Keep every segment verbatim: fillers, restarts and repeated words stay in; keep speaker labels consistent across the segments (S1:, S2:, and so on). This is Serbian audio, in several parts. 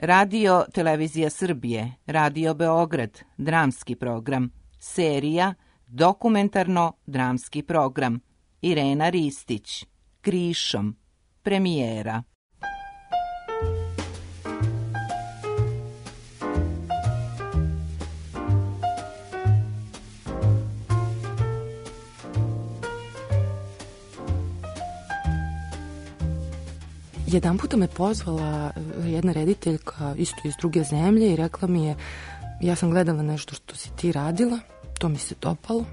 S1: Radio Televizija Srbije, Radio Beograd, dramski program, serija Dokumentarno-dramski program, Irena Ristić, Krišom, premijera.
S2: Jedan puta me pozvala jedna rediteljka isto iz druge zemlje i rekla mi je, ja sam gledala nešto što si ti radila, to mi se dopalo,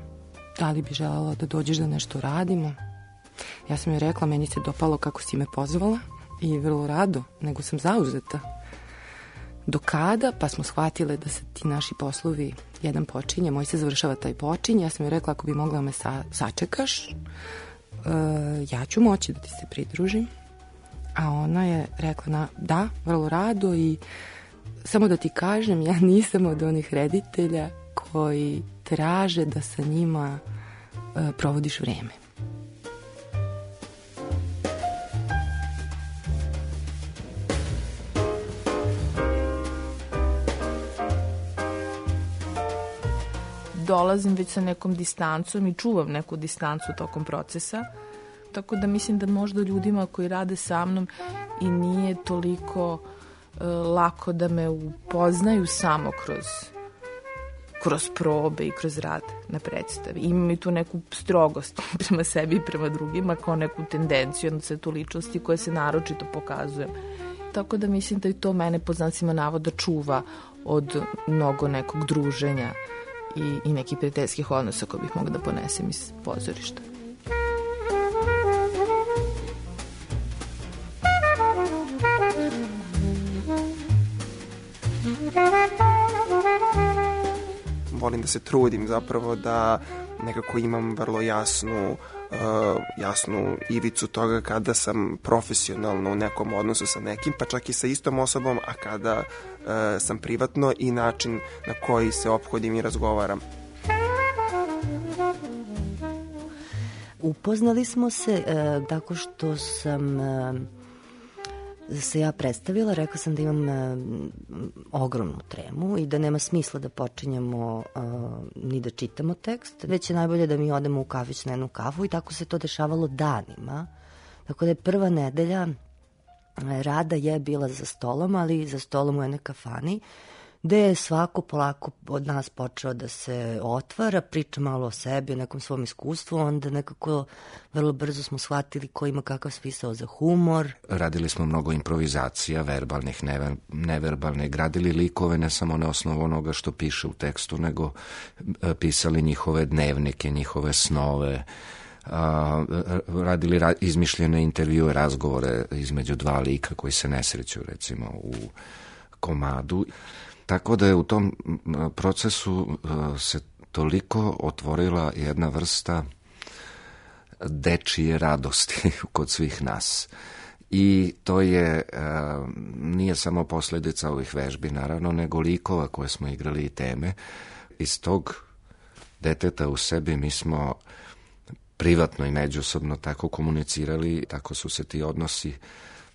S2: da li bi želela da dođeš da nešto radimo? Ja sam joj rekla, meni se dopalo kako si me pozvala i vrlo rado, nego sam zauzeta. Do kada? Pa smo shvatile da se ti naši poslovi, jedan počinje, moj se završava, taj počinje. Ja sam joj rekla, ako bi mogla me sa, sačekaš, uh, ja ću moći da ti se pridružim. A ona je rekla, na, da, vrlo rado i samo da ti kažem, ja nisam od onih reditelja koji traže da sa njima uh, provodiš vreme.
S3: Dolazim već sa nekom distancom i čuvam neku distancu tokom procesa. Tako da mislim da možda ljudima koji rade sa mnom i nije toliko e, lako da me upoznaju samo kroz, kroz probe i kroz rad na predstavi. Imam i tu neku strogost prema sebi i prema drugima, kao neku tendenciju, onda se tu ličnosti koje se naročito pokazujem. Tako da mislim da i to mene po znacima navoda čuva od mnogo nekog druženja i, i nekih prijateljskih odnosa koje bih mogla da ponesem iz pozorišta.
S4: Volim da se trudim zapravo da nekako imam vrlo jasnu, uh, jasnu ivicu toga kada sam profesionalno u nekom odnosu sa nekim, pa čak i sa istom osobom, a kada uh, sam privatno i način na koji se ophodim i razgovaram.
S5: Upoznali smo se uh, tako što sam... Uh, se ja predstavila, rekla sam da imam e, ogromnu tremu i da nema smisla da počinjemo e, ni da čitamo tekst, već je najbolje da mi odemo u kafić na jednu kafu i tako se to dešavalo danima. Tako da je prva nedelja e, rada je bila za stolom, ali za stolom u jednoj kafani, gde je svako polako od nas počeo da se otvara, priča malo o sebi, o nekom svom iskustvu, onda nekako vrlo brzo smo shvatili ko ima kakav smisao za humor.
S6: Radili smo mnogo improvizacija, verbalnih, never, neverbalnih, gradili likove ne samo na osnovu onoga što piše u tekstu, nego pisali njihove dnevnike, njihove snove, a, radili ra, izmišljene intervjue, razgovore između dva lika koji se nesreću recimo u komadu. Tako da je u tom procesu uh, se toliko otvorila jedna vrsta dečije radosti kod svih nas. I to je, uh, nije samo posljedica ovih vežbi, naravno, nego likova koje smo igrali i teme. Iz tog deteta u sebi mi smo privatno i međusobno tako komunicirali, tako su se ti odnosi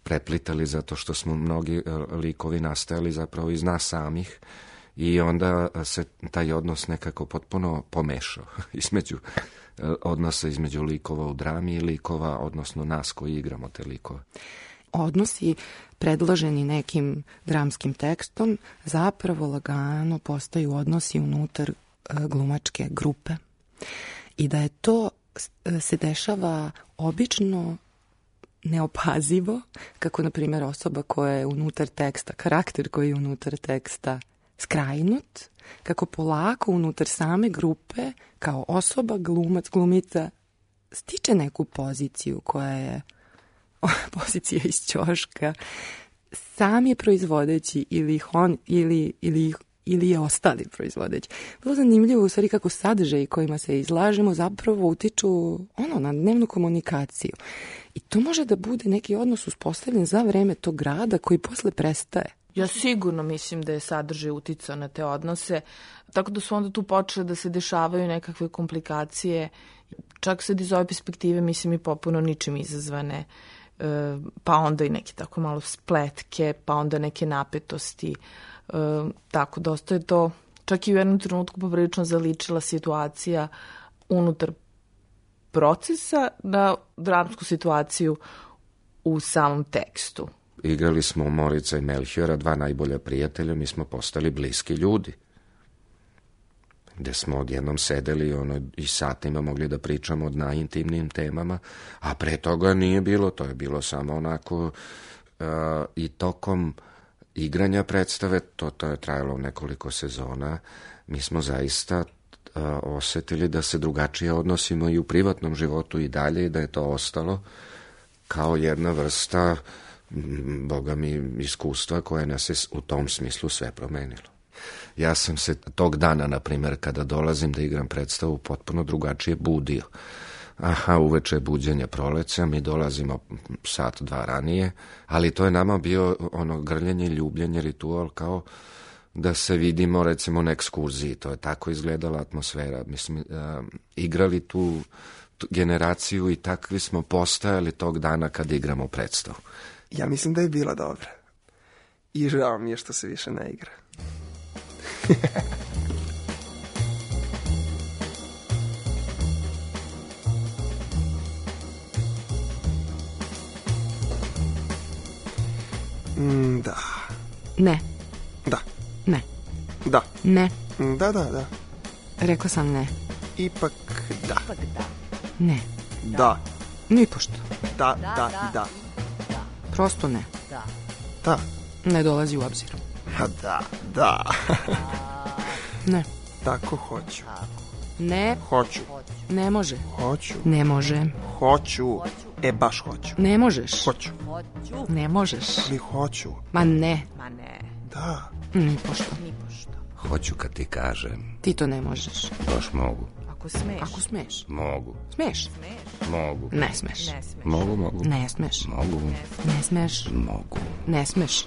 S6: preplitali zato što smo mnogi likovi nastajali zapravo iz nas samih i onda se taj odnos nekako potpuno pomešao između odnosa između likova u drami i likova, odnosno nas koji igramo te likove.
S2: Odnosi predloženi nekim dramskim tekstom zapravo lagano postaju odnosi unutar glumačke grupe i da je to se dešava obično neopazivo, kako na primjer osoba koja je unutar teksta, karakter koji je unutar teksta skrajnut, kako polako unutar same grupe kao osoba, glumac, glumica stiče neku poziciju koja je pozicija iz ćoška, sam je proizvodeći ili on ili, ili ili je ostali proizvodeći. Vrlo zanimljivo u stvari kako sadržaji kojima se izlažemo zapravo utiču ono, na dnevnu komunikaciju. I to može da bude neki odnos uspostavljen za vreme tog rada koji posle prestaje.
S3: Ja sigurno mislim da je sadržaj uticao na te odnose, tako da su onda tu počele da se dešavaju nekakve komplikacije, čak sad iz ove perspektive mislim i popuno ničim izazvane, e, pa onda i neke tako malo spletke, pa onda neke napetosti. E, tako, dosta je to, čak i u jednom trenutku poprilično zaličila situacija unutar procesa na dramsku situaciju u samom tekstu.
S6: Igrali smo Morica i Melchiora, dva najbolja prijatelja, mi smo postali bliski ljudi. Gde smo odjednom sedeli ono, i satima mogli da pričamo o najintimnijim temama, a pre toga nije bilo, to je bilo samo onako uh, i tokom igranja predstave, to, to je trajalo nekoliko sezona, mi smo zaista uh, osetili da se drugačije odnosimo i u privatnom životu i dalje i da je to ostalo kao jedna vrsta, boga mi, iskustva koje nas je u tom smislu sve promenilo. Ja sam se tog dana, na primjer, kada dolazim da igram predstavu, potpuno drugačije budio. Aha, uveče je buđenje proleća, mi dolazimo sat, dva ranije, ali to je nama bio ono grljenje, ljubljenje, ritual, kao da se vidimo, recimo, na ekskurziji. To je tako izgledala atmosfera. Mislim, uh, igrali tu, tu generaciju i takvi smo postajali tog dana kada igramo predstavu.
S4: Ja mislim da je bila dobra. I žao mi je što se više ne igra. mm, da.
S2: Ne.
S4: Da.
S2: Ne.
S4: Da.
S2: Ne.
S4: Da, da, da.
S2: Rekla sam ne.
S4: Ipak da.
S5: Ipak da.
S2: Ne.
S4: Da.
S2: Nipošto.
S4: Da, da, da.
S2: Prosto ne.
S5: Da.
S4: Da.
S2: Ne dolazi u obzir.
S4: Ha, da, da.
S2: Ne.
S4: Tako hoću.
S2: Ne.
S4: Hoću.
S2: Ne može.
S4: Hoću.
S2: Ne može.
S4: Hoću. E, baš hoću.
S2: Ne možeš.
S4: Hoću.
S2: Ne možeš.
S4: Ali hoću.
S2: Ma ne.
S3: Ma ne,
S4: Da.
S2: Nipošto.
S3: nipošto.
S6: Hoću kad ti kažem,
S2: Ti to ne možeš.
S6: baš mogu,
S3: Ako smeš.
S2: Ako smeš.
S6: mogu,
S2: Smeš.
S6: mogu,
S2: Ne smeš.
S3: Ne smeš.
S6: mogu, mogu,
S2: Ne smeš.
S6: mogu,
S2: Ne smeš.
S6: mogu,
S2: Ne smeš.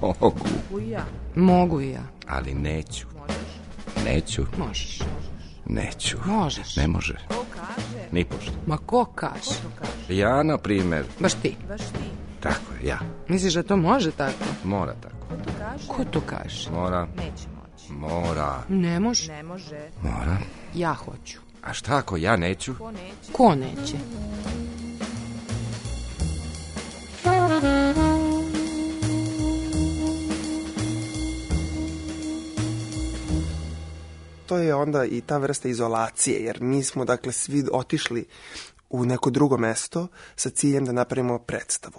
S6: mogu,
S3: U ja.
S2: Mogu i ja.
S6: ali neću,
S3: Možeš.
S6: neću,
S2: Možeš.
S6: neću,
S2: Možeš.
S6: ne može,
S3: Ko kaže?
S6: ni pošto.
S2: Ma ko kaže?
S3: To kaže.
S6: Ja, na primer,
S2: Baš ti.
S3: Baš ti.
S6: tako je, ja,
S2: Misliš da to može tako?
S6: mora tako,
S3: Ko to kaže?
S2: Ko to kaže?
S6: mora,
S3: Neće moći.
S6: mora,
S2: Ne može.
S3: Ne može.
S6: mora,
S2: Ja hoću.
S6: a šta ako ja neću?
S3: Ko neće?
S2: Ko neće?
S4: To je onda i ta vrsta izolacije, jer mi smo, dakle, svi otišli u neko drugo mesto sa ciljem da napravimo predstavu.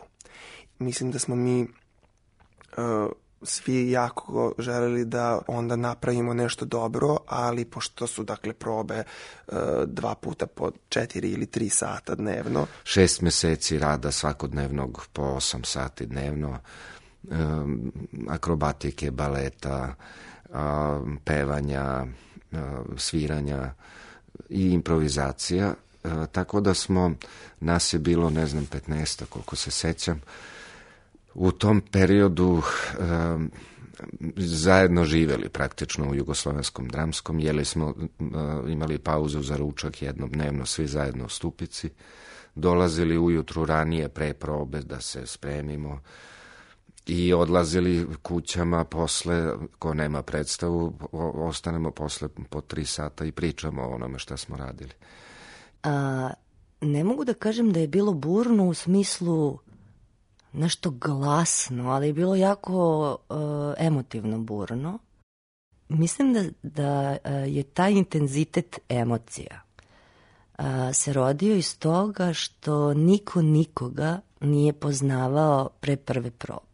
S4: Mislim da smo mi uh, svi jako želeli da onda napravimo nešto dobro, ali pošto su, dakle, probe uh, dva puta po četiri ili tri sata dnevno.
S6: Šest meseci rada svakodnevnog po osam sati dnevno, um, akrobatike, baleta, um, pevanja, um, sviranja i improvizacija, uh, tako da smo, nas je bilo, ne znam, petnaest, koliko se sećam, u tom periodu um, zajedno živeli praktično u Jugoslovenskom dramskom, jeli smo, uh, imali pauzu za ručak jednom dnevno, svi zajedno u Stupici, dolazili ujutru ranije pre probe da se spremimo i odlazili kućama posle, ko nema predstavu, o, ostanemo posle po tri sata i pričamo o onome šta smo radili.
S5: A, ne mogu da kažem da je bilo burno u smislu nešto glasno, ali je bilo jako uh, emotivno burno. Mislim da, da uh, je taj intenzitet emocija uh, se rodio iz toga što niko nikoga nije poznavao pre prve probe.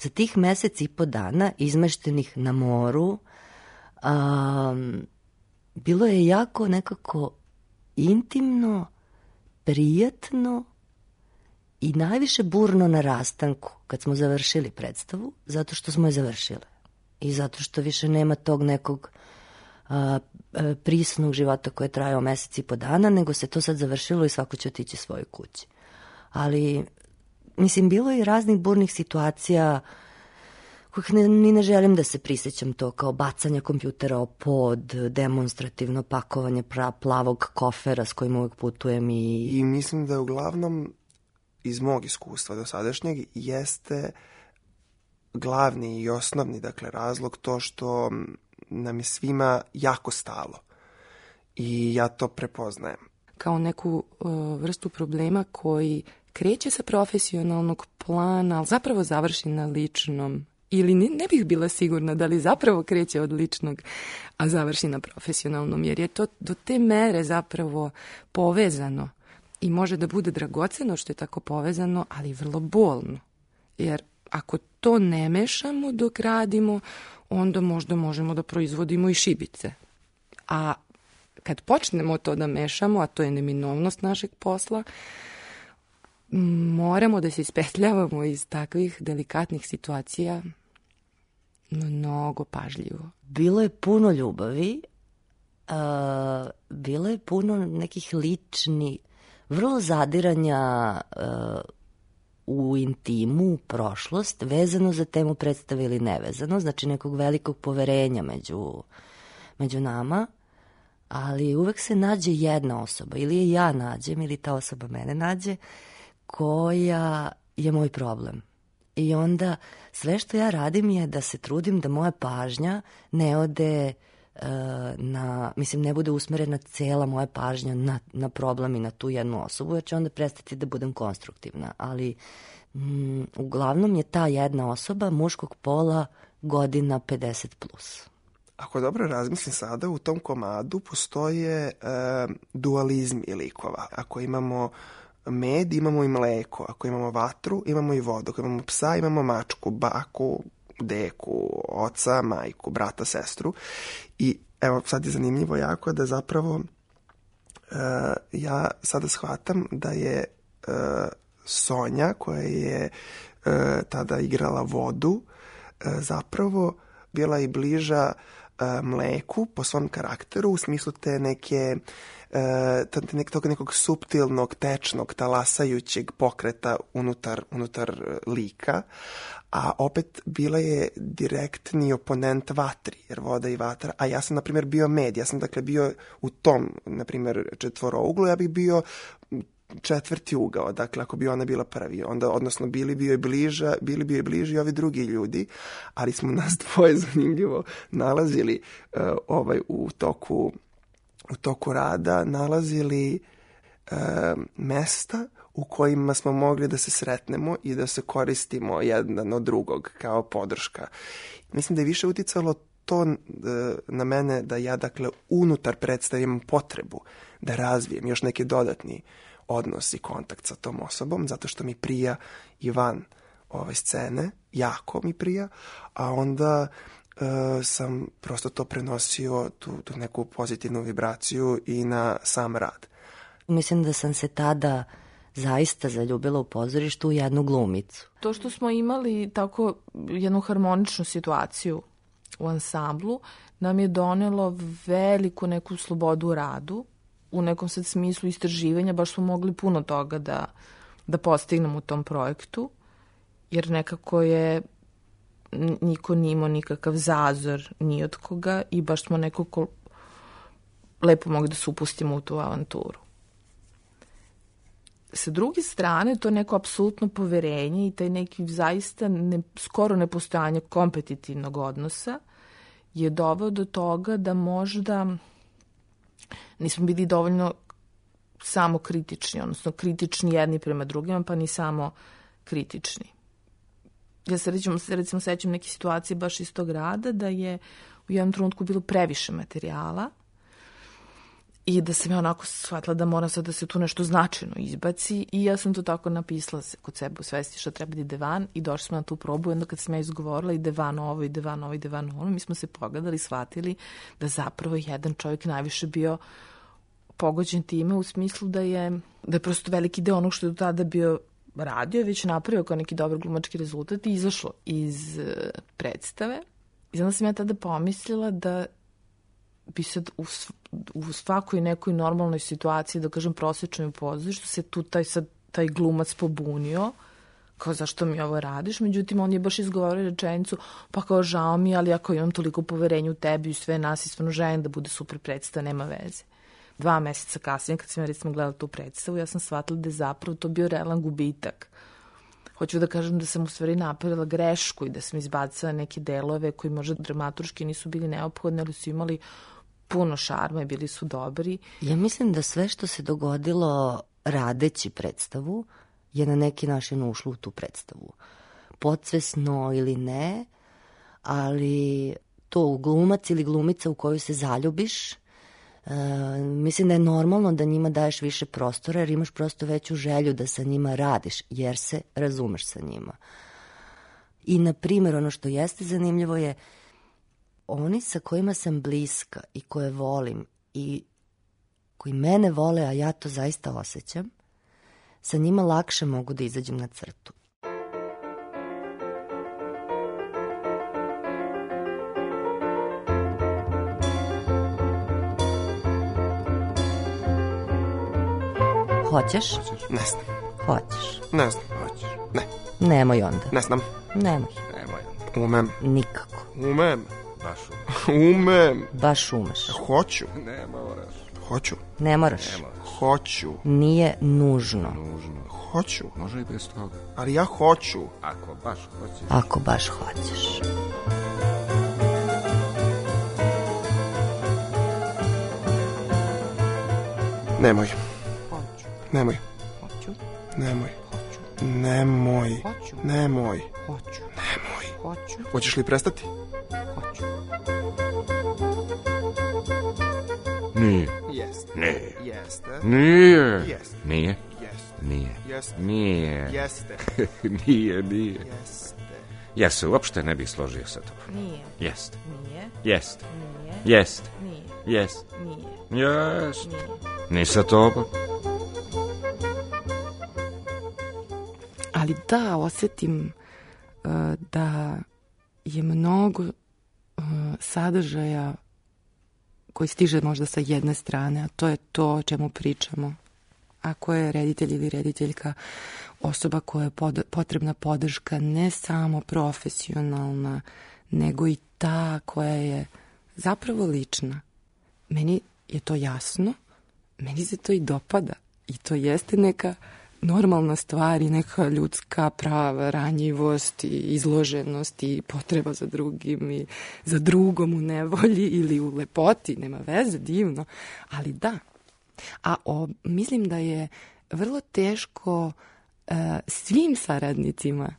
S5: Za tih mesec i po dana izmeštenih na moru um, bilo je jako nekako intimno, prijatno i najviše burno na rastanku kad smo završili predstavu, zato što smo je završile i zato što više nema tog nekog a, a, prisnog života koje je trajao mesec i po dana, nego se to sad završilo i svako će otići svojoj kući. Ali, mislim, bilo je i raznih burnih situacija kojih ne, ni ne želim da se prisjećam, to kao bacanje kompjutera o pod, demonstrativno pakovanje pra, plavog kofera s kojim uvek putujem i...
S4: I mislim da je uglavnom iz mog iskustva do sadašnjeg jeste glavni i osnovni, dakle, razlog to što nam je svima jako stalo. I ja to prepoznajem.
S2: Kao neku uh, vrstu problema koji kreće sa profesionalnog plana, ali zapravo završi na ličnom. Ili ne, ne bih bila sigurna da li zapravo kreće od ličnog, a završi na profesionalnom, jer je to do te mere zapravo povezano i može da bude dragoceno što je tako povezano, ali vrlo bolno. Jer ako to ne mešamo dok radimo, onda možda možemo da proizvodimo i šibice. A kad počnemo to da mešamo, a to je neminovnost našeg posla, moramo da se ispetljavamo iz takvih delikatnih situacija mnogo pažljivo.
S5: Bilo je puno ljubavi, uh, bilo je puno nekih ličnih, vrlo zadiranja uh, u intimu, u prošlost, vezano za temu predstave ili nevezano, znači nekog velikog poverenja među, među nama, ali uvek se nađe jedna osoba, ili je ja nađem, ili ta osoba mene nađe, koja je moj problem. I onda sve što ja radim je da se trudim da moja pažnja ne ode uh, na, mislim, ne bude usmerena cela moja pažnja na, na problem i na tu jednu osobu, jer će onda prestati da budem konstruktivna. Ali mm, uglavnom je ta jedna osoba muškog pola godina pedeset plus.
S4: Ako dobro razmislim sada, u tom komadu postoje e, dualizmi likova. Ako imamo med, imamo i mleko. Ako imamo vatru, imamo i vodu. Ako imamo psa, imamo mačku, baku, deku, oca, majku, brata, sestru. I evo, sad je zanimljivo jako da zapravo e, ja sada shvatam da je e, Sonja, koja je e, tada igrala vodu, e, zapravo bila i bliža mleku po svom karakteru, u smislu te neke te tog nekog suptilnog, tečnog, talasajućeg pokreta unutar, unutar lika, a opet bila je direktni oponent vatri, jer voda i vatra, a ja sam, na primjer, bio med, ja sam, dakle, bio u tom, na primjer, četvorouglu, ja bih bio četvrti ugao, dakle, ako bi ona bila prvi, onda, odnosno, bili bio je bliža, bili bio je bliži ovi drugi ljudi, ali smo nas dvoje zanimljivo nalazili uh, ovaj, u toku, u toku rada, nalazili uh, mesta u kojima smo mogli da se sretnemo i da se koristimo jedan od drugog kao podrška. Mislim da je više uticalo to uh, na mene da ja, dakle, unutar predstavim potrebu da razvijem još neki dodatni odnos i kontakt sa tom osobom, zato što mi prija i van ove scene, jako mi prija, a onda e, sam prosto to prenosio, tu, tu neku pozitivnu vibraciju i na sam rad.
S5: Mislim da sam se tada zaista zaljubila u pozorištu u jednu glumicu.
S3: To što smo imali tako jednu harmoničnu situaciju u ansamblu nam je donelo veliku neku slobodu u radu, u nekom sad smislu istraživanja, baš smo mogli puno toga da, da postignemo u tom projektu, jer nekako je niko nije imao nikakav zazor ni od koga i baš smo nekako lepo mogli da se upustimo u tu avanturu. Sa druge strane, to neko apsolutno poverenje i taj neki zaista ne, skoro nepostojanje kompetitivnog odnosa je doveo do toga da možda nismo bili dovoljno samo kritični, odnosno kritični jedni prema drugima, pa ni samo kritični. Ja se recimo, recimo sećam neke situacije baš iz tog rada, da je u jednom trenutku bilo previše materijala i da sam ja onako shvatila da moram sad da se tu nešto značajno izbaci i ja sam to tako napisala kod sebe u svesti što treba da ide van i došli smo na tu probu i onda kad sam ja izgovorila ide van ovo, ide van ovo, ide van ovo, mi smo se pogledali, shvatili da zapravo jedan čovjek najviše bio pogođen time u smislu da je, da je prosto veliki deo onog što je do tada bio radio, već napravio kao neki dobar glumački rezultat i izašlo iz predstave. I onda sam ja tada pomislila da bi sad u, u svakoj nekoj normalnoj situaciji, da kažem prosječnoj pozorištu, se tu taj, sad, taj glumac pobunio, kao zašto mi ovo radiš, međutim on je baš izgovorio rečenicu, pa kao žao mi, ali ako imam toliko poverenja u tebi i sve nas i stvarno želim da bude super predstava, nema veze. Dva meseca kasnije, kad sam ja recimo gledala tu predstavu, ja sam shvatila da je zapravo to bio realan gubitak. Hoću da kažem da sam u stvari napravila grešku i da sam izbacila neke delove koji možda dramaturški nisu bili neophodni, ali su imali puno šarma i bili su dobri.
S5: Ja mislim da sve što se dogodilo radeći predstavu je na neki način ušlo u tu predstavu. Podsvesno ili ne, ali to glumac ili glumica u koju se zaljubiš, e, mislim da je normalno da njima daješ više prostora jer imaš prosto veću želju da sa njima radiš jer se razumeš sa njima. I na primjer ono što jeste zanimljivo je oni sa kojima sam bliska i koje volim i koji mene vole, a ja to zaista osjećam, sa njima lakše mogu da izađem na crtu. Hoćeš?
S4: Ne znam.
S5: Hoćeš.
S4: Ne znam. Hoćeš. Ne.
S5: Nemoj onda.
S4: Ne znam.
S5: Nemoj.
S6: Nemoj.
S4: Umem.
S5: Nikako.
S4: Umem.
S6: Baš umem.
S4: Umem.
S5: Baš umeš.
S4: Hoću.
S6: Ne moraš.
S4: Hoću.
S5: Ne moraš.
S6: Ne moraš.
S4: Hoću.
S5: Nije nužno.
S6: Nužno.
S4: Hoću.
S6: Može i bez toga.
S4: Ali ja hoću.
S6: Ako baš hoćeš.
S5: Ako baš hoćeš.
S4: Nemoj.
S1: Hoću.
S4: Nemoj.
S1: Hoću.
S4: Nemoj.
S1: Hoću.
S4: Nemoj.
S1: Hoću.
S4: Nemoj.
S1: Hoću.
S4: Nemoj.
S1: Hoću.
S4: Hoćeš li prestati?
S1: Hoću.
S6: Nije.
S4: Jeste.
S6: Nije.
S4: Jeste.
S6: Nije.
S4: Jeste.
S6: Nije.
S4: Jeste.
S6: Nije.
S4: Jeste.
S6: Nije.
S4: Jeste.
S6: Nije, nije.
S4: Jeste.
S6: Ja se uopšte ne bih složio sa tobom.
S3: Nije.
S6: Jest.
S3: Nije.
S6: Jest.
S3: Nije.
S6: Jest.
S3: Nije.
S6: Jest.
S3: Nije.
S6: Jest.
S3: Nije.
S6: Ni sa tobom.
S2: Ali da, osjetim uh, da je mnogo uh, sadržaja koji stiže možda sa jedne strane, a to je to o čemu pričamo. Ako je reditelj ili rediteljka osoba koja je pod, potrebna podrška ne samo profesionalna, nego i ta koja je zapravo lična. Meni je to jasno, meni se to i dopada i to jeste neka normalna stvar i neka ljudska prava, ranjivost i izloženost i potreba za drugim i za drugom u nevolji ili u lepoti, nema veze, divno, ali da. A o, mislim da je vrlo teško uh, svim saradnicima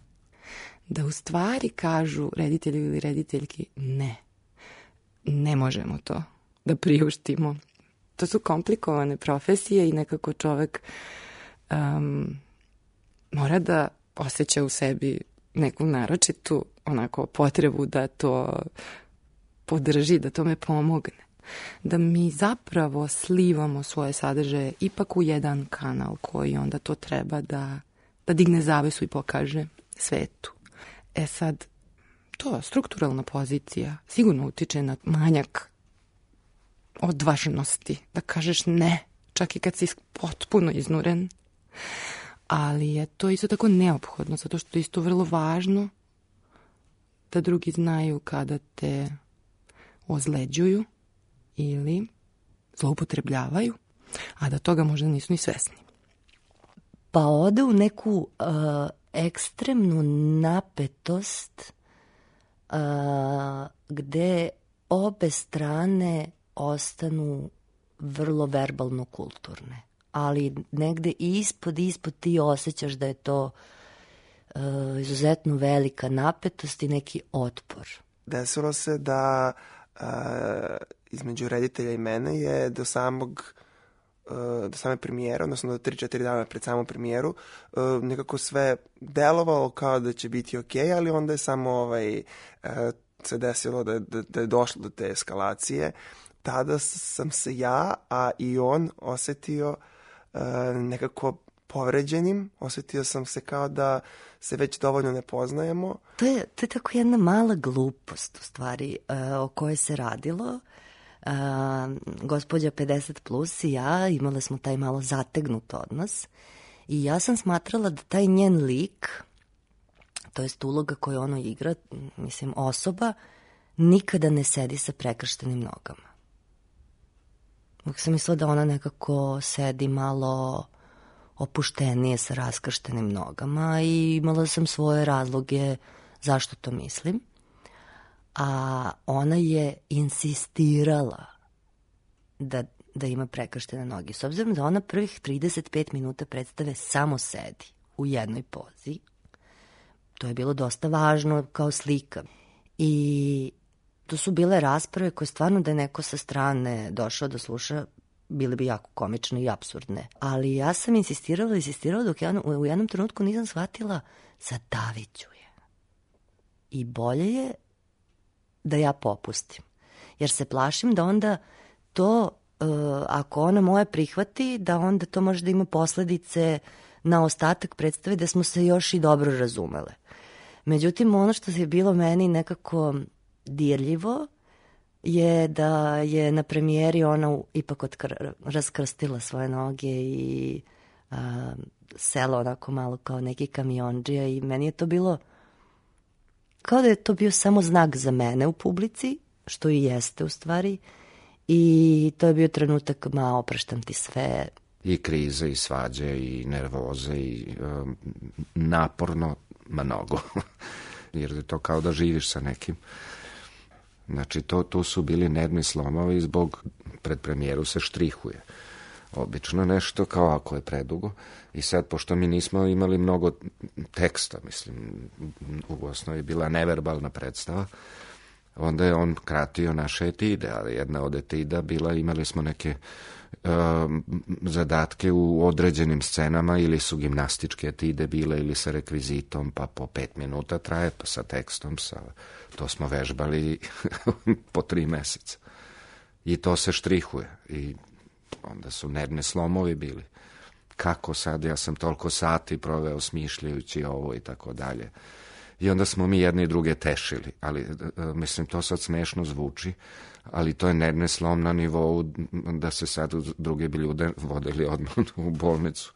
S2: da u stvari kažu reditelju ili rediteljki ne, ne možemo to da priuštimo. To su komplikovane profesije i nekako čovek um, mora da osjeća u sebi neku naročitu onako potrebu da to podrži, da to me pomogne. Da mi zapravo slivamo svoje sadržaje ipak u jedan kanal koji onda to treba da, da digne zavesu i pokaže svetu. E sad, to strukturalna pozicija sigurno utiče na manjak odvažnosti, da kažeš ne, čak i kad si potpuno iznuren. Ali je to isto tako neophodno, zato što je isto vrlo važno da drugi znaju kada te ozleđuju ili zloupotrebljavaju, a da toga možda nisu ni svesni.
S5: Pa ode u neku uh, ekstremnu napetost uh, gde obe strane ostanu vrlo verbalno kulturne. Ali negde ispod, ispod ti osjećaš da je to uh, izuzetno velika napetost i neki otpor.
S4: Desilo se da uh, između reditelja i mene je do samog uh, do same premijere, odnosno do tri četiri dana pred samu premijeru, uh, nekako sve delovalo kao da će biti okej, ali onda je samo ovaj, uh, se desilo da, da, da je došlo do te eskalacije. Tada sam se ja, a i on osetio uh, nekako povređenim, osetio sam se kao da se već dovoljno ne poznajemo.
S5: To je, to je tako jedna mala glupost u stvari uh, o kojoj se radilo. Uh, gospođa pedeset plus i ja imale smo taj malo zategnut odnos i ja sam smatrala da taj njen lik, to jest uloga koju ono igra, mislim osoba, nikada ne sedi sa prekrštenim nogama. Uvijek sam mislila da ona nekako sedi malo opuštenije sa raskrštenim nogama i imala sam svoje razloge zašto to mislim. A ona je insistirala da, da ima prekrštene noge. S obzirom da ona prvih trideset pet minuta predstave samo sedi u jednoj pozi, to je bilo dosta važno kao slika. I to su bile rasprave koje stvarno da je neko sa strane došao da sluša, bile bi jako komične i apsurdne. Ali ja sam insistirala, insistirala dok ja u jednom trenutku nisam shvatila zadaviću je. I bolje je da ja popustim. Jer se plašim da onda to, uh, ako ona moje prihvati, da onda to može da ima posledice na ostatak predstave da smo se još i dobro razumele. Međutim, ono što je bilo meni nekako dirljivo je da je na premijeri ona ipak otkr- raskrstila svoje noge i a, sela onako malo kao neki kamionđija i meni je to bilo kao da je to bio samo znak za mene u publici, što i jeste u stvari, i to je bio trenutak, ma opraštam ti sve.
S6: I krize, i svađe, i nervoze, i um, naporno mnogo. Jer je to kao da živiš sa nekim. Znači, to, tu su bili nervni slomovi, zbog pred premijeru se štrihuje. Obično nešto, kao ako je predugo. I sad, pošto mi nismo imali mnogo teksta, mislim, u osnovi bila neverbalna predstava, onda je on kratio naše etide, ali jedna od etida bila, imali smo neke uh, zadatke u određenim scenama, ili su gimnastičke etide bile, ili sa rekvizitom, pa po pet minuta traje, pa sa tekstom, sa, to smo vežbali po tri meseca. I to se štrihuje. I onda su nervni slomovi bili. Kako sad, ja sam toliko sati proveo smišljajući ovo i tako dalje. I onda smo mi jedni i druge tešili, ali mislim, to sad smešno zvuči, ali to je nervni slom na nivou da se sad druge bi ljude vodili odmah u bolnicu,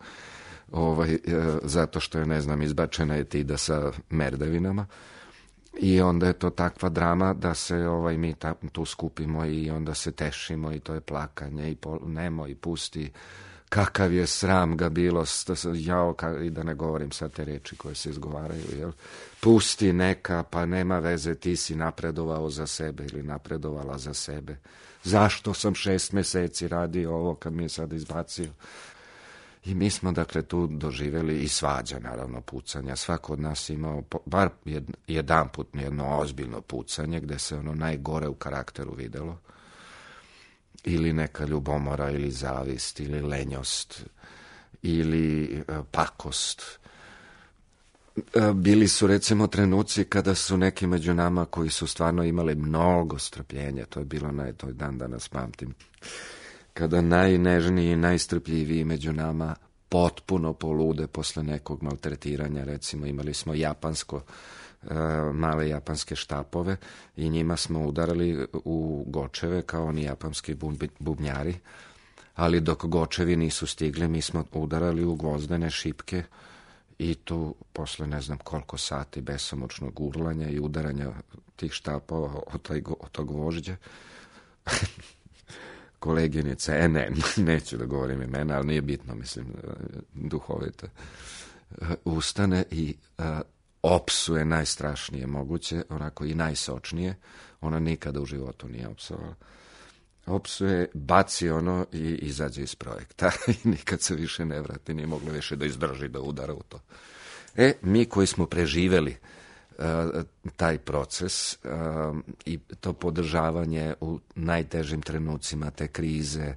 S6: ovaj, zato što je, ne znam, izbačena etida sa merdevinama. I onda je to takva drama da se ovaj, mi ta, tu skupimo i onda se tešimo i to je plakanje i pol, nemo i pusti. Kakav je sram ga bilo, jao, ka, i da ne govorim sad te reči koje se izgovaraju, jel? Pusti neka, pa nema veze, ti si napredovao za sebe ili napredovala za sebe. Zašto sam šest meseci radio ovo kad mi je sad izbacio? I mi smo, dakle, tu doživjeli i svađa, naravno, pucanja. Svako od nas imao, bar jedan put jedno ozbiljno pucanje, gde se ono najgore u karakteru videlo. Ili neka ljubomora, ili zavist, ili lenjost, ili e, pakost. E, bili su, recimo, trenuci kada su neki među nama koji su stvarno imali mnogo strpljenja, to je bilo naj, to je dan danas pamtim, kada najnežniji i najstrpljiviji među nama potpuno polude posle nekog maltretiranja. Recimo, imali smo japansko, e, male japanske štapove i njima smo udarali u gočeve kao oni japanski bubnjari, ali dok gočevi nisu stigli, mi smo udarali u gvozdene šipke i tu posle ne znam koliko sati besomučnog urlanja i udaranja tih štapova od, taj, od tog gvožđa koleginica, e ne, neću da govorim imena, ali nije bitno, mislim, duhovita, ustane i a, opsuje najstrašnije moguće, onako i najsočnije, ona nikada u životu nije opsovala. Opsuje, baci ono i izađe iz projekta i nikad se više ne vrati, nije mogla više da izdrži da udara u to. E, mi koji smo preživeli taj proces uh, i to podržavanje u najtežim trenucima te krize,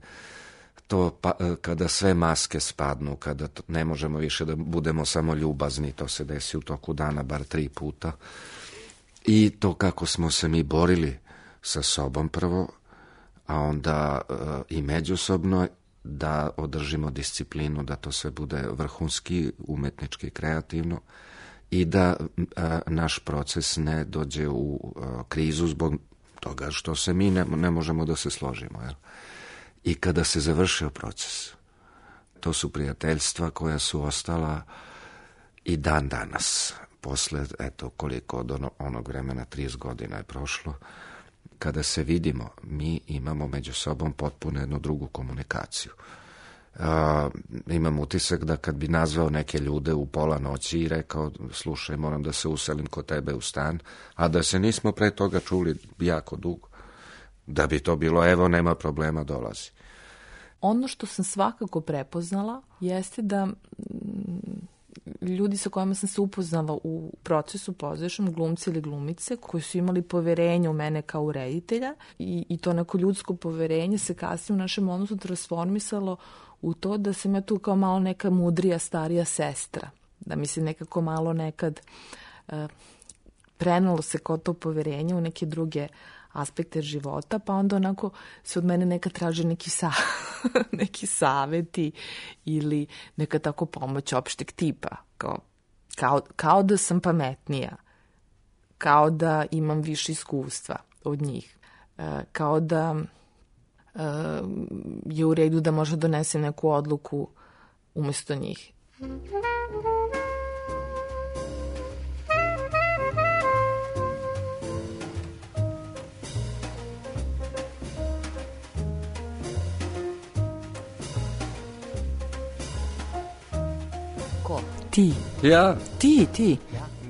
S6: to pa, kada sve maske spadnu, kada to, ne možemo više da budemo samo ljubazni, to se desi u toku dana bar tri puta, i to kako smo se mi borili sa sobom prvo, a onda uh, i međusobno da održimo disciplinu, da to sve bude vrhunski, umetnički, kreativno, i da a, naš proces ne dođe u a, krizu zbog toga što se mi ne, ne možemo da se složimo. Jel? I kada se završio proces, to su prijateljstva koja su ostala i dan danas, posle, eto, koliko od ono, onog vremena, trideset godina je prošlo, kada se vidimo, mi imamo među sobom potpuno jednu drugu komunikaciju. Uh, imam utisak da kad bi nazvao neke ljude u pola noći i rekao, slušaj, moram da se uselim kod tebe u stan, a da se nismo pre toga čuli jako dugo, da bi to bilo, evo, nema problema, dolazi.
S3: Ono što sam svakako prepoznala jeste da mm, ljudi sa kojima sam se upoznala u procesu pozorišnom, glumci ili glumice, koji su imali poverenje u mene kao reditelja i, i to neko ljudsko poverenje se kasnije u našem odnosu transformisalo u to da sam ja tu kao malo neka mudrija, starija sestra. Da mi se nekako malo nekad uh, prenalo se kao to poverenje u neke druge aspekte života, pa onda onako se od mene neka traže neki, sa, neki saveti ili neka tako pomoć opšteg tipa. Kao, kao, kao da sam pametnija, kao da imam više iskustva od njih, uh, kao da uh, je u redu da možda donesem neku odluku umesto njih.
S2: Ti.
S6: Ja?
S2: Ti, ti.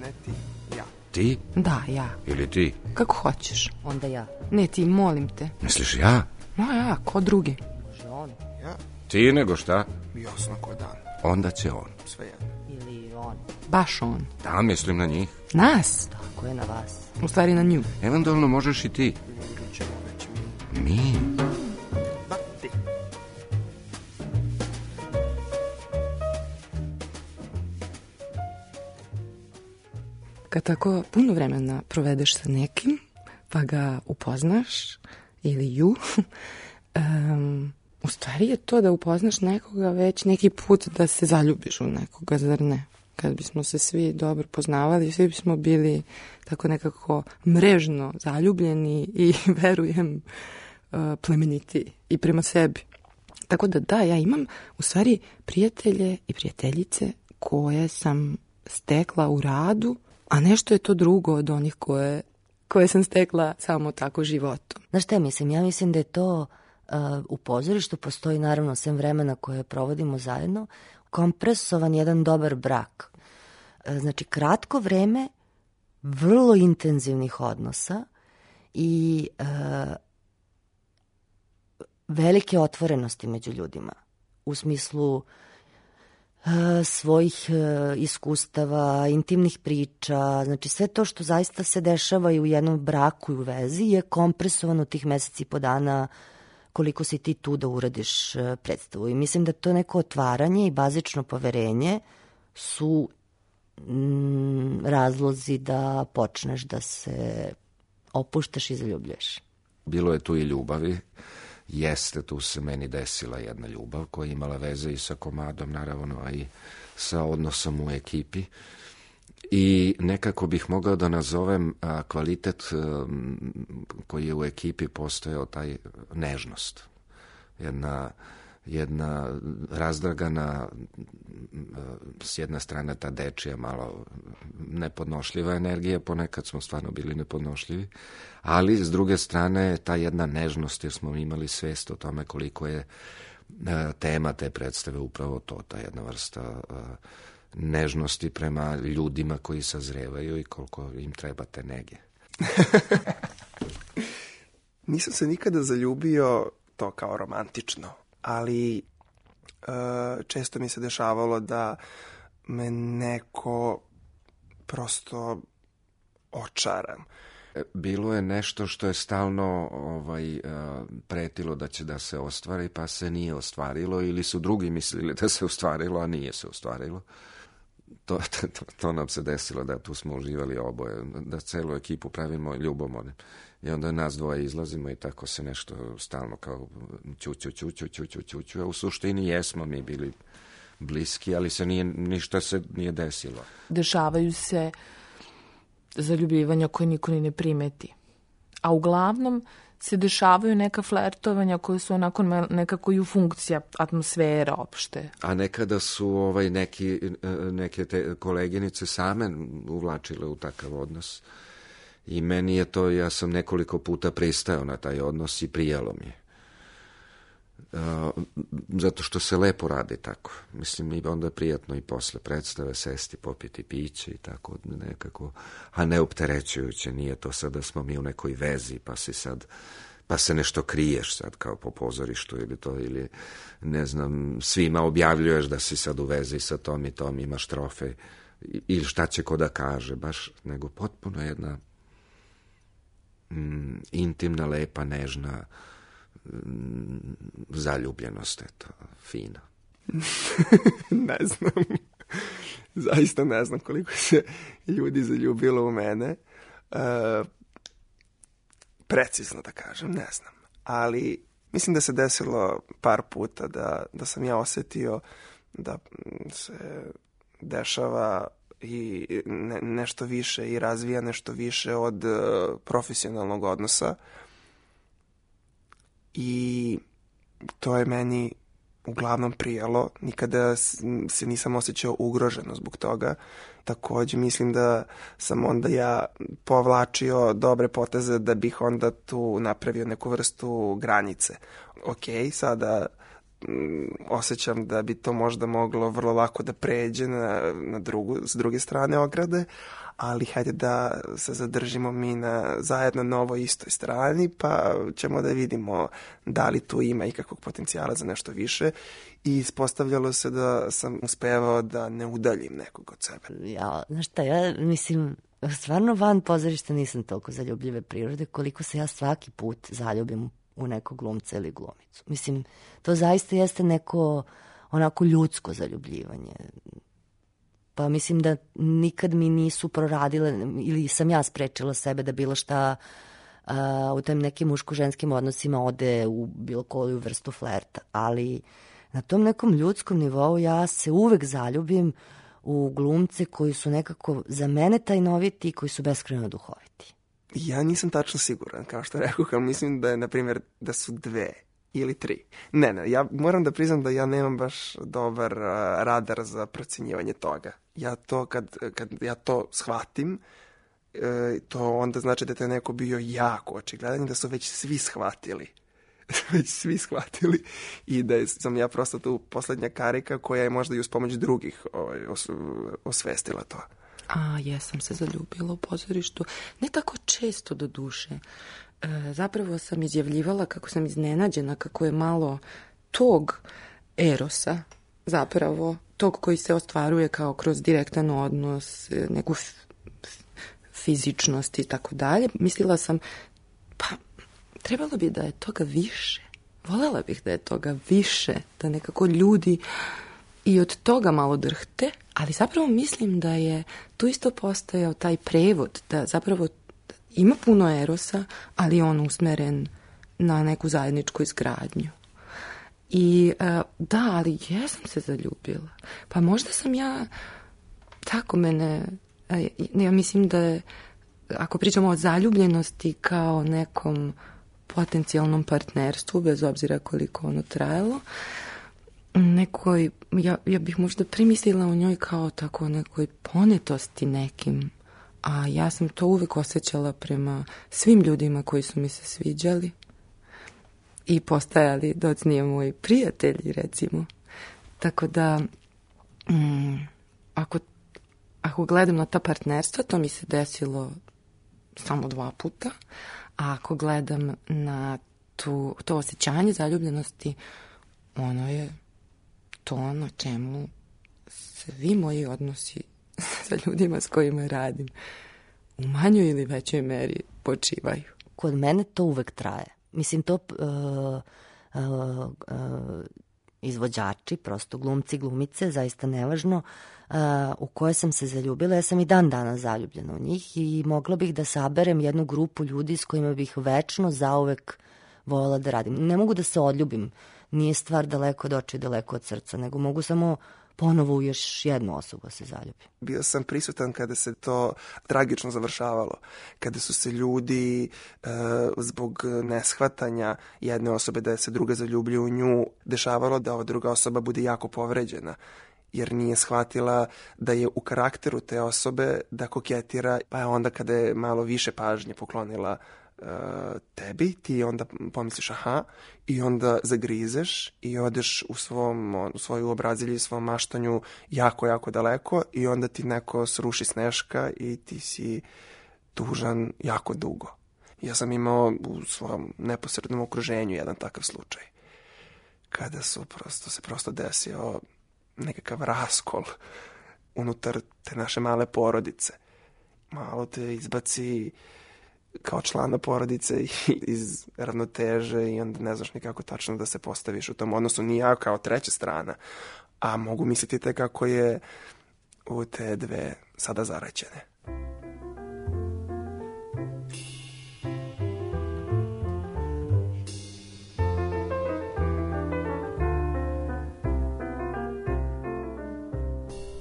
S4: Ne ti, ja.
S6: Ti?
S2: Da, ja.
S6: Ili ti?
S2: Kako hoćeš.
S5: Onda ja.
S2: Ne, ti, molim te.
S6: Misliš ja?
S2: No, ja, ko drugi.
S5: Može on.
S4: Ja,
S6: Ti nego šta?
S4: jasno ko dan.
S6: Onda će on.
S4: Sve jedno.
S5: Ili on.
S2: Baš on.
S6: Da, mislim na njih.
S2: Nas.
S5: Tako je na vas.
S2: U stvari na nju.
S6: Eventualno možeš i ti.
S4: Ili ćemo već mi.
S6: Mi?
S4: Da, ti.
S2: Kad tako puno vremena provedeš sa nekim, pa ga upoznaš, ili ju, um, u stvari je to da upoznaš nekoga već neki put da se zaljubiš u nekoga, zar ne? Kad bismo se svi dobro poznavali, svi bismo bili tako nekako mrežno zaljubljeni i, verujem, uh, plemeniti i prema sebi. Tako da da, ja imam u stvari prijatelje i prijateljice koje sam stekla u radu, a nešto je to drugo od onih koje, koje sam stekla samo tako životom.
S5: Znaš šta ja mislim? Ja mislim da je to uh, u pozorištu postoji naravno sem vremena koje provodimo zajedno, kompresovan jedan dobar brak. Uh, znači kratko vreme vrlo intenzivnih odnosa i uh, velike otvorenosti među ljudima. U smislu svojih iskustava, intimnih priča, znači sve to što zaista se dešava i u jednom braku i u vezi je kompresovano tih meseci i po dana koliko si ti tu da uradiš predstavu. I mislim da to neko otvaranje i bazično poverenje su mm, razlozi da počneš da se opuštaš i zaljubljuješ.
S6: Bilo je tu i ljubavi. Jeste, tu se meni desila jedna ljubav koja je imala veze i sa komadom, naravno, a i sa odnosom u ekipi. I nekako bih mogao da nazovem a, kvalitet a, koji je u ekipi postojao, taj nežnost. Jedna, jedna razdragana, a, s jedne strane ta dečija malo nepodnošljiva energija, ponekad smo stvarno bili nepodnošljivi, ali s druge strane ta jedna nežnost, jer smo imali svest o tome koliko je a, tema te predstave upravo to, ta jedna vrsta a, nežnosti prema ljudima koji sazrevaju i koliko im treba te nege.
S4: Nisam se nikada zaljubio to kao romantično, ali uh, često mi se dešavalo da me neko prosto očara.
S6: Bilo je nešto što je stalno ovaj, pretilo da će da se ostvari, pa se nije ostvarilo, ili su drugi mislili da se ostvarilo, a nije se ostvarilo. To, to, to nam se desilo, da tu smo uživali oboje, da celu ekipu pravimo ljubomornim. I onda nas dvoje izlazimo i tako se nešto stalno kao ću, ću, ću, ću, ću, ću, ću, ću. A u suštini jesmo mi bili bliski, ali se nije, ništa se nije desilo.
S3: Dešavaju se zaljubljivanja koje niko ni ne primeti. A uglavnom se dešavaju neka flertovanja koje su onako nekako i u funkcija atmosfera opšte.
S6: A nekada su ovaj neki, neke te koleginice same uvlačile u takav odnos. I meni je to, ja sam nekoliko puta pristao na taj odnos i prijelo mi je. Uh, zato što se lepo radi tako. Mislim, i onda je prijatno i posle predstave sesti, popiti piće i tako nekako, a ne opterećujuće. Nije to sad da smo mi u nekoj vezi, pa si sad, pa se nešto kriješ sad kao po pozorištu ili to, ili ne znam, svima objavljuješ da si sad u vezi sa tom i tom, imaš trofej ili šta će ko da kaže, baš, nego potpuno jedna mm, intimna, lepa, nežna zaljubljenost, eto, fina.
S4: Ne znam. Zaista ne znam koliko se ljudi zaljubilo u mene. E, precizno da kažem, ne znam. Ali mislim da se desilo par puta da, da sam ja osetio da se dešava i ne, nešto više i razvija nešto više od uh, profesionalnog odnosa. I to je meni uglavnom prijelo. Nikada se nisam osjećao ugroženo zbog toga. Takođe mislim da sam onda ja povlačio dobre poteze da bih onda tu napravio neku vrstu granice. Ok, sada m, osjećam da bi to možda moglo vrlo lako da pređe na, na drugu, s druge strane ograde, ali hajde da se zadržimo mi na zajedno na ovoj istoj strani, pa ćemo da vidimo da li tu ima ikakvog potencijala za nešto više. I ispostavljalo se da sam uspevao da ne udaljim nekog od sebe.
S5: Ja, znaš šta, ja mislim, stvarno van pozorišta nisam toliko zaljubljive prirode, koliko se ja svaki put zaljubim u nekog glumca ili glumicu. Mislim, to zaista jeste neko onako ljudsko zaljubljivanje. Pa mislim da nikad mi nisu proradile ili sam ja sprečila sebe da bilo šta uh, u tim nekim muško-ženskim odnosima ode u bilo koju vrstu flerta. Ali na tom nekom ljudskom nivou ja se uvek zaljubim u glumce koji su nekako za mene tajnoviti i koji su beskrajno duhoviti.
S4: Ja nisam tačno siguran, kao što rekao, ali mislim da je, na primjer, da su dve ili tri. Ne, ne, ja moram da priznam da ja nemam baš dobar uh, radar za procenjivanje toga. Ja to, kad, kad ja to shvatim, uh, to onda znači da je neko bio jako očigledan i da su već svi shvatili. već svi shvatili i da sam ja prosto tu poslednja karika koja je možda i uz pomoć drugih ovaj, os, osvestila to.
S2: A, jesam se zaljubila u pozorištu. Ne tako često do duše. E, zapravo sam izjavljivala kako sam iznenađena, kako je malo tog erosa, zapravo tog koji se ostvaruje kao kroz direktan odnos, neku f, f, fizičnost i tako dalje. Mislila sam, pa trebalo bi da je toga više. Volela bih da je toga više, da nekako ljudi i od toga malo drhte, ali zapravo mislim da je tu isto postojao taj prevod, da zapravo ima puno erosa, ali on usmeren na neku zajedničku izgradnju. I da, ali jesam se zaljubila. Pa možda sam ja, tako mene, ja mislim da je, ako pričamo o zaljubljenosti kao nekom potencijalnom partnerstvu, bez obzira koliko ono trajalo, nekoj, ja, ja bih možda primislila u njoj kao tako nekoj ponetosti nekim, a ja sam to uvek osjećala prema svim ljudima koji su mi se sviđali i postajali docnije moji prijatelji, recimo. Tako da, mm, ako, ako gledam na ta partnerstva, to mi se desilo samo dva puta, a ako gledam na tu, to osjećanje zaljubljenosti, ono je to na čemu svi moji odnosi sa ljudima s kojima radim u manjoj ili većoj meri počivaju.
S5: Kod mene to uvek traje. Mislim, to uh, uh, uh, izvođači, prosto glumci, glumice, zaista nevažno, uh, u koje sam se zaljubila. Ja sam i dan danas zaljubljena u njih i mogla bih da saberem jednu grupu ljudi s kojima bih večno zauvek voljela da radim. Ne mogu da se odljubim, nije stvar daleko od očiju, daleko od srca, nego mogu samo ponovo u još jednu osobu se zaljubim.
S4: Bio sam prisutan kada se to tragično završavalo, kada su se ljudi e, zbog neshvatanja jedne osobe da se druga zaljubljuje u nju, dešavalo da ova druga osoba bude jako povređena. jer nije shvatila da je u karakteru te osobe da koketira, pa je onda kada je malo više pažnje poklonila uh, tebi, ti onda pomisliš aha i onda zagrizeš i odeš u, svom, u svoju obrazilju i svom maštanju jako, jako daleko i onda ti neko sruši sneška i ti si tužan jako dugo. Ja sam imao u svom neposrednom okruženju jedan takav slučaj. Kada su prosto, se prosto desio nekakav raskol unutar te naše male porodice. Malo te izbaci kao člana porodice iz ravnoteže i onda ne znaš nikako tačno da se postaviš u tom odnosu. Ni ja kao treća strana, a mogu misliti te kako je u te dve sada zaraćene.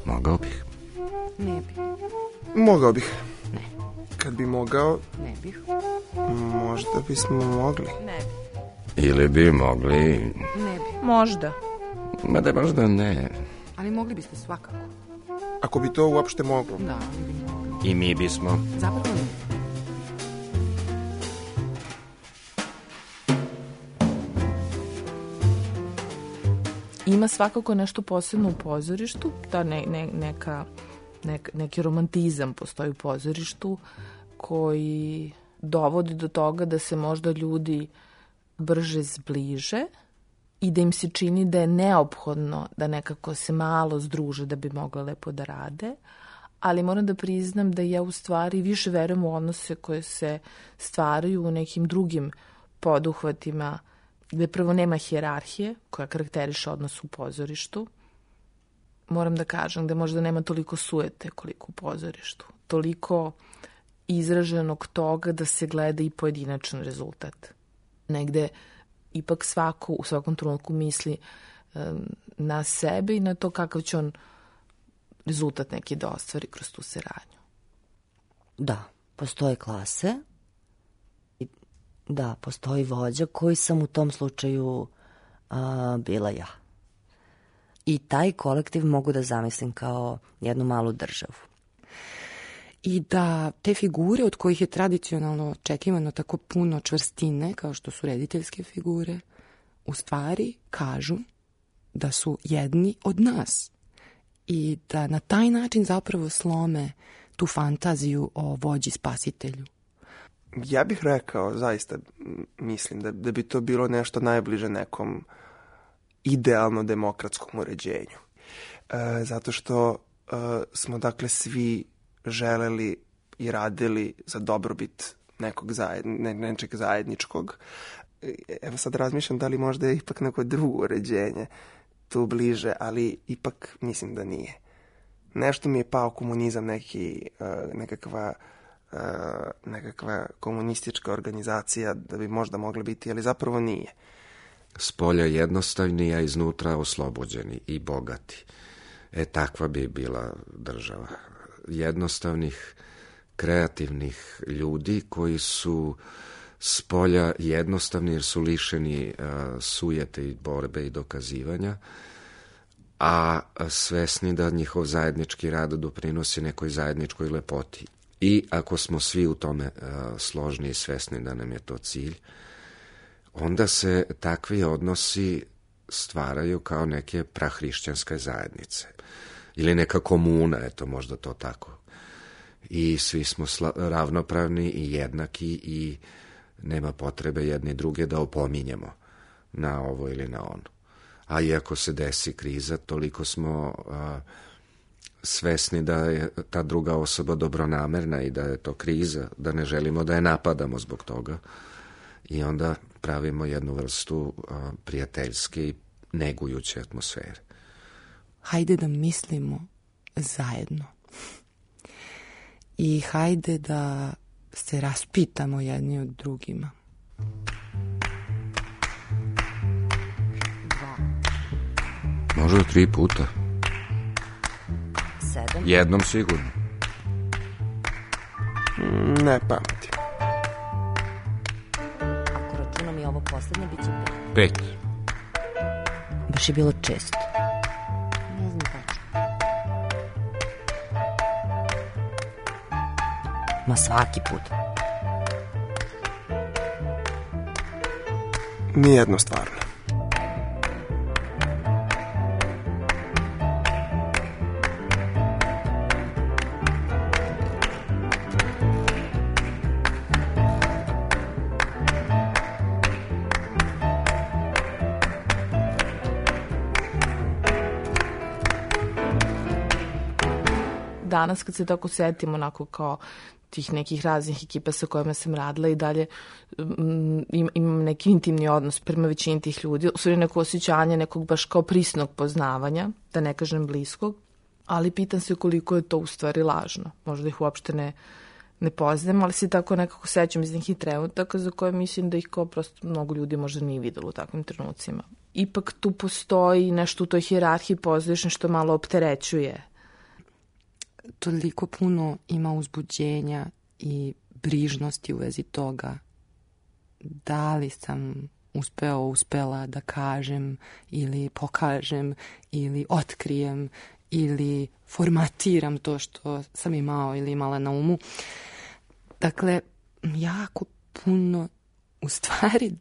S6: Mogao bih.
S2: Ne bih.
S4: Mogao bih.
S2: Ne.
S4: Kad bi mogao,
S2: Ne bih.
S4: možda bismo mogli.
S3: Ne bi.
S6: Ili bi mogli...
S2: Ne bih.
S3: Možda.
S6: Ma da možda ne.
S2: Ali mogli biste svakako.
S4: Ako bi to uopšte moglo.
S2: Da, ali bi mogli.
S6: I mi bismo.
S2: Zapravo ne.
S3: Ima svakako nešto posebno u pozorištu, ta ne, ne, neka, nek, neki romantizam postoji u pozorištu koji dovodi do toga da se možda ljudi brže zbliže i da im se čini da je neophodno da nekako se malo združe da bi mogle lepo da rade, ali moram da priznam da ja u stvari više verujem u odnose koje se stvaraju u nekim drugim poduhvatima gde prvo nema hijerarhije koja karakteriše odnos u pozorištu. Moram da kažem da možda nema toliko sujete koliko u pozorištu. Toliko izraženog toga da se gleda i pojedinačan rezultat. Negde ipak svako u svakom trenutku misli um, na sebe i na to kakav će on rezultat neki da ostvari kroz tu saradnju.
S5: Da, postoje klase. Da, postoji vođa koji sam u tom slučaju a, bila ja. I taj kolektiv mogu da zamislim kao jednu malu državu.
S2: I da te figure od kojih je tradicionalno očekivano tako puno čvrstine, kao što su rediteljske figure, u stvari kažu da su jedni od nas. I da na taj način zapravo slome tu fantaziju o vođi spasitelju.
S4: Ja bih rekao, zaista mislim da, da bi to bilo nešto najbliže nekom idealno demokratskom uređenju. E, zato što e, smo dakle svi želeli i radili za dobrobit nekog zajed, ne, nečeg zajedničkog. Evo sad razmišljam da li možda je ipak neko drugo uređenje tu bliže, ali ipak mislim da nije. Nešto mi je pao komunizam, neki, e, nekakva Uh, nekakva komunistička organizacija da bi možda mogla biti, ali zapravo nije.
S6: Spolja jednostavni, a iznutra oslobođeni i bogati. E, takva bi bila država. Jednostavnih, kreativnih ljudi koji su spolja jednostavni jer su lišeni uh, sujete i borbe i dokazivanja, a svesni da njihov zajednički rad doprinosi nekoj zajedničkoj lepoti. I ako smo svi u tome uh, složni i svesni da nam je to cilj, onda se takvi odnosi stvaraju kao neke prahrišćanske zajednice. Ili neka komuna, eto možda to tako. I svi smo sla- ravnopravni i jednaki i nema potrebe jedni druge da opominjemo na ovo ili na ono. A iako se desi kriza, toliko smo... Uh, svesni da je ta druga osoba dobronamerna i da je to kriza, da ne želimo da je napadamo zbog toga i onda pravimo jednu vrstu a, prijateljske i negujuće atmosfere.
S2: Hajde da mislimo zajedno. I hajde da se raspitamo jedni od drugima. Dva.
S6: Možda tri puta.
S5: Sedam.
S6: Jednom sigurno.
S4: Ne pamtim.
S5: Ako računam i ovo poslednje, bit će pet.
S6: Pet.
S5: Baš je bilo često.
S2: Ne znam tačno.
S5: Ma svaki put.
S4: Nijedno stvarno.
S3: Danas kad se tako setim onako kao tih nekih raznih ekipa sa kojima sam radila i dalje um, imam neki intimni odnos prema većini tih ljudi, u stvari neko osjećanje nekog baš kao prisnog poznavanja, da ne kažem bliskog, ali pitam se koliko je to u stvari lažno. Možda ih uopšte ne, ne poznajem, ali se tako nekako sećam iz nekih trenutaka za koje mislim da ih kao prosto mnogo ljudi možda nije videlo u takvim trenucima. Ipak tu postoji nešto u toj hijerarhiji pozorišne što malo opterećuje.
S2: Toliko puno ima uzbuđenja i brižnosti u vezi toga da li sam uspeo, uspela da kažem ili pokažem ili otkrijem ili formatiram to što sam imao ili imala na umu. Dakle, jako puno u stvari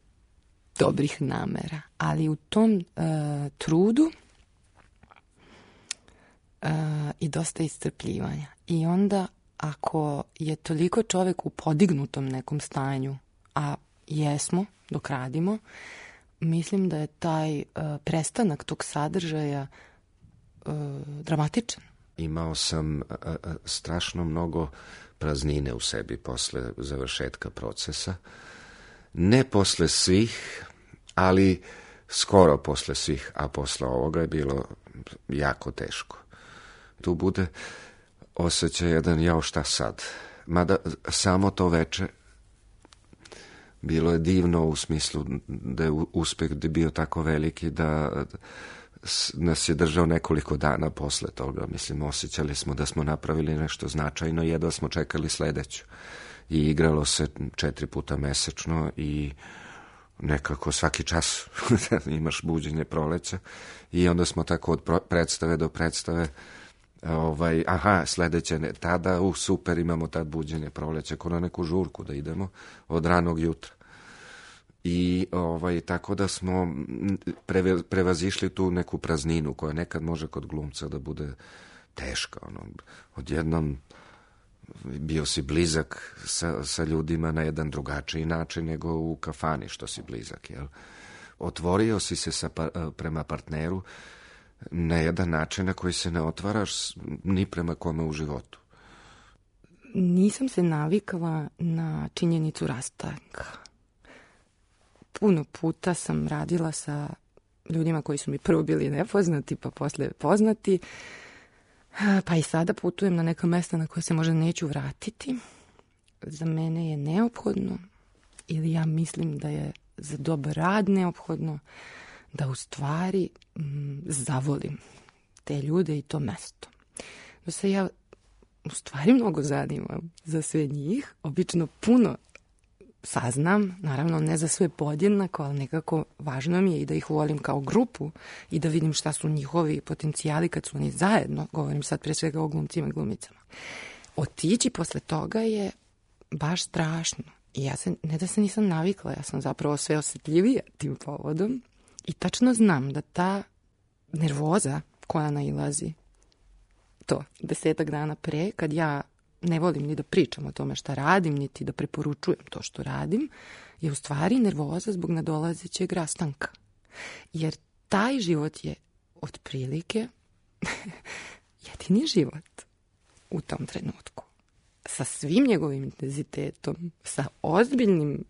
S2: dobrih namera, ali u tom uh, trudu Uh, i dosta iscrpljivanja. I onda ako je toliko čovek u podignutom nekom stanju, a jesmo dok radimo, mislim da je taj uh, prestanak tog sadržaja uh, dramatičan.
S6: Imao sam a, a, strašno mnogo praznine u sebi posle završetka procesa. Ne posle svih, ali skoro posle svih, a posle ovoga je bilo jako teško. Tu bude osjećaj jedan, jao šta sad. Mada samo to veče bilo je divno u smislu da je uspeh bio tako veliki da nas je držao nekoliko dana posle toga. Mislim, osjećali smo da smo napravili nešto značajno, jedva smo čekali sledeću. I igralo se četiri puta mesečno i nekako svaki čas imaš buđenje proleća i onda smo tako od predstave do predstave ovaj, aha, sledeće ne, tada, uh, super, imamo tad buđenje proleća, ko na neku žurku da idemo od ranog jutra. I ovaj, tako da smo preve, prevazišli tu neku prazninu koja nekad može kod glumca da bude teška. Ono, odjednom bio si blizak sa, sa ljudima na jedan drugačiji način nego u kafani što si blizak. Jel? Otvorio si se sa, prema partneru na jedan način na koji se ne otvaraš ni prema kome u životu.
S2: Nisam se navikala na činjenicu rastanka. Puno puta sam radila sa ljudima koji su mi prvo bili nepoznati, pa posle poznati. Pa i sada putujem na neka mesta na koje se možda neću vratiti. Za mene je neophodno, ili ja mislim da je za dobar rad neophodno, da u stvari m, zavolim te ljude i to mesto. Da se ja u stvari mnogo zanimam za sve njih. Obično puno saznam, naravno ne za sve podjednako, ali nekako važno mi je i da ih volim kao grupu i da vidim šta su njihovi potencijali kad su oni zajedno, govorim sad pre svega o glumcima i glumicama. Otići posle toga je baš strašno. I ja se, ne da se nisam navikla, ja sam zapravo sve osjetljivija tim povodom i tačno znam da ta nervoza koja nailazi to desetak dana pre, kad ja ne volim ni da pričam o tome šta radim, niti da preporučujem to što radim, je u stvari nervoza zbog nadolazećeg rastanka. Jer taj život je otprilike jedini život u tom trenutku. Sa svim njegovim intenzitetom, sa ozbiljnim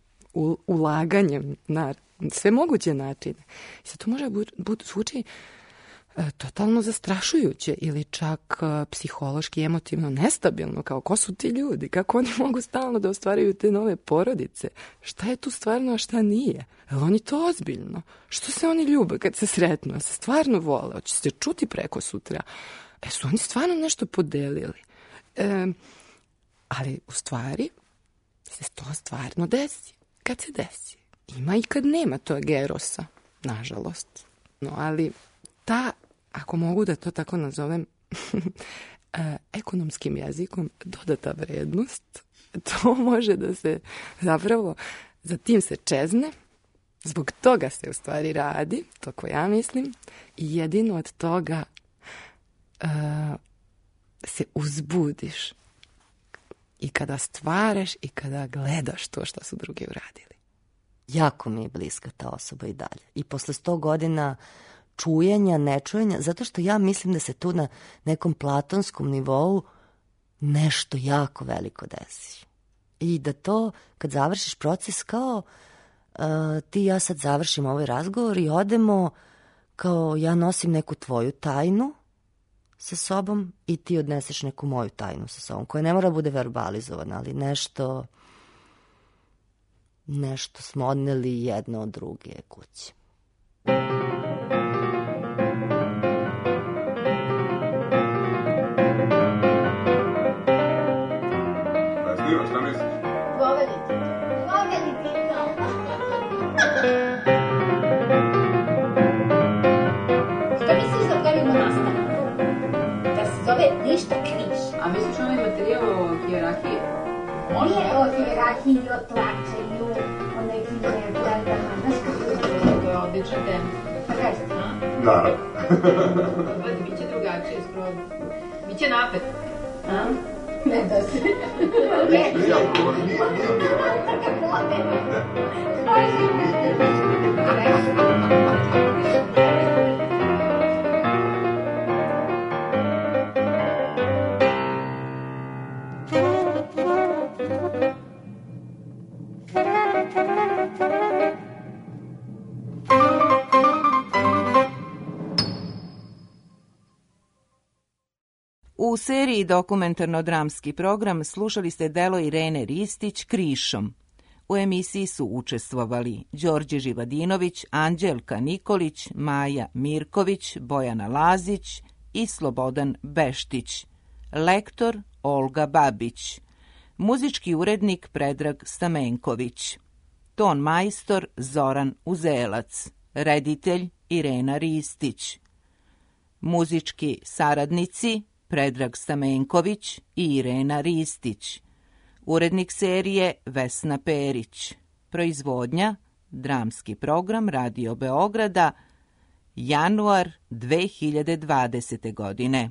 S2: ulaganjem na sve moguće načine. I sad to može biti zvuči totalno zastrašujuće ili čak psihološki, emotivno nestabilno, kao ko su ti ljudi, kako oni mogu stalno da ostvaraju te nove porodice, šta je tu stvarno, a šta nije, je li oni to ozbiljno, što se oni ljube kad se sretnu, se stvarno vole, hoće se čuti preko sutra, e su oni stvarno nešto podelili, e, ali u stvari se to stvarno desi, kad se desi, ima i kad nema tog erosa, nažalost, no ali ta, ako mogu da to tako nazovem, ekonomskim jezikom, dodata vrednost to može da se zapravo, za tim se čezne, zbog toga se u stvari radi, to ko ja mislim, i jedino od toga uh, se uzbudiš i kada stvaraš i kada gledaš to što su drugi uradili.
S5: Jako mi je bliska ta osoba i dalje. I posle sto godina čujenja, nečujenja, zato što ja mislim da se tu na nekom platonskom nivou nešto jako veliko desi. I da to, kad završiš proces, kao uh, ti i ja sad završimo ovaj razgovor i odemo, kao ja nosim neku tvoju tajnu sa sobom i ti odneseš neku moju tajnu sa sobom, koja ne mora bude verbalizovana, ali nešto, nešto smo odneli jedno od druge kući.
S7: Šta misliš?
S8: Govorite. Govorite. Što misliš da pravimo nastavak? Da se zove ništa križ.
S9: A misliš onaj materijal o hijerarhiji?
S8: Može? Nije o hijerarhiji, o tlačenju, o nekim nepravdama. Znaš kako je to?
S9: To je odlična tema.
S8: Pa kažete?
S7: Naravno.
S9: Gledaj, bit će drugačije skroz. Biće napet.
S8: A? Ne da se.
S7: Ja, nije, nije, nije.
S10: U seriji dokumentarno-dramski program slušali ste delo Irene Ristić Krišom. U emisiji su učestvovali Đorđe Živadinović, Anđelka Nikolić, Maja Mirković, Bojana Lazić i Slobodan Beštić. Lektor Olga Babić. Muzički urednik Predrag Stamenković. Ton majstor Zoran Uzelac. Reditelj Irena Ristić. Muzički saradnici Predrag Stamenković i Irena Ristić. Urednik serije Vesna Perić. Proizvodnja Dramski program Radio Beograda, januar dve hiljade dvadesete. godine.